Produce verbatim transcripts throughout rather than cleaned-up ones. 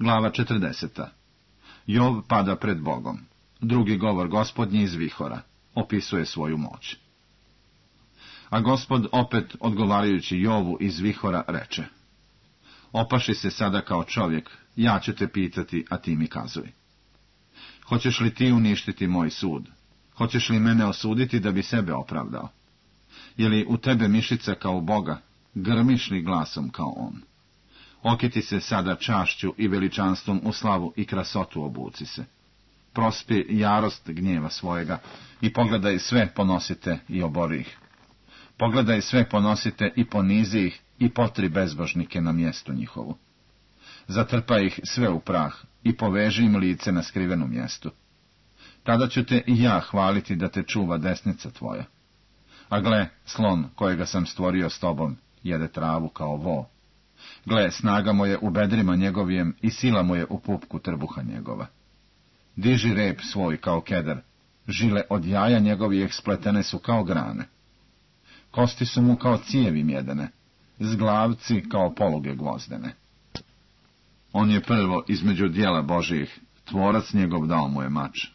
Glava četrdeseta. Jov pada pred Bogom. Drugi govor Gospodnji iz vihora opisuje svoju moć. A Gospod opet, odgovarajući Jovu iz vihora, reče: Opaši se sada kao čovjek, ja ću te pitati, a ti mi kazuj. Hoćeš li ti uništiti moj sud? Hoćeš li mene osuditi da bi sebe opravdao? Je li u tebe mišica kao Boga? Grmiš li glasom kao on? Okiti se sada čašću i veličanstvom u slavu i krasotu obuci se. Prospi jarost gnjeva svojega i pogledaj sve ponosite i obori ih. Pogledaj sve ponosite i ponizi ih i potri bezbožnike na mjestu njihovu. Zatrpaj ih sve u prah i poveži im lice na skrivenom mjestu. Tada ću te i ja hvaliti da te čuva desnica tvoja. A gle, slon kojega sam stvorio s tobom jede travu kao vo. Gle, snaga mu je u bedrima njegovijem i sila mu je u pupku trbuha njegova. Diži rep svoj kao kedar, žile od jaja njegovijeg spletene su kao grane. Kosti su mu kao cijevi mjedene, zglavci kao poluge gvozdene. On je prvo između dijela Božijih, tvorac njegov dao mu je mač.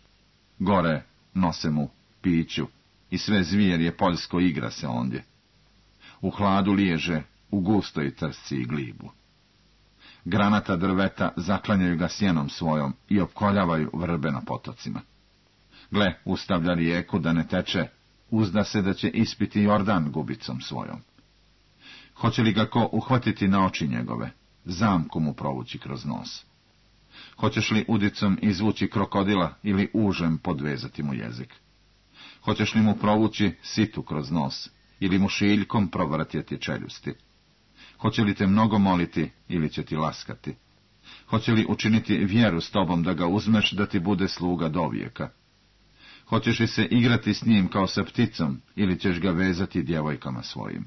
Gore nose mu piću i sve zvijerje poljsko igra se ondje. U hladu liježe, u gustoj trsci i glibu. Granata drveta zaklanjaju ga sjenom svojom i opkoljavaju vrbe na potocima. Gle, ustavlja rijeku da ne teče, uzda se da će ispiti Jordan gubicom svojom. Hoće li ga ko uhvatiti na oči njegove, zamku mu provući kroz nos? Hoćeš li udicom izvući krokodila ili užem podvezati mu jezik? Hoćeš li mu provući situ kroz nos ili mu šiljkom provratjeti čeljusti? Hoće li te mnogo moliti ili će ti laskati? Hoće li učiniti vjeru s tobom da ga uzmeš da ti bude sluga dovijeka? Hoćeš li se igrati s njim kao sa pticom ili ćeš ga vezati djevojkama svojim?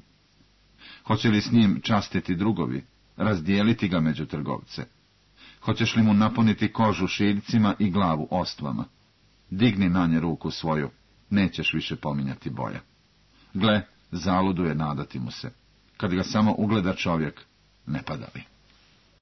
Hoće li s njim častiti drugovi, razdijeliti ga među trgovce? Hoćeš li mu napuniti kožu šiljcima i glavu ostvama? Digni na nje ruku svoju, nećeš više pominjati boja. Gle, zaluduje nadati mu se. Kad ga samo ugleda čovjek, ne pada li.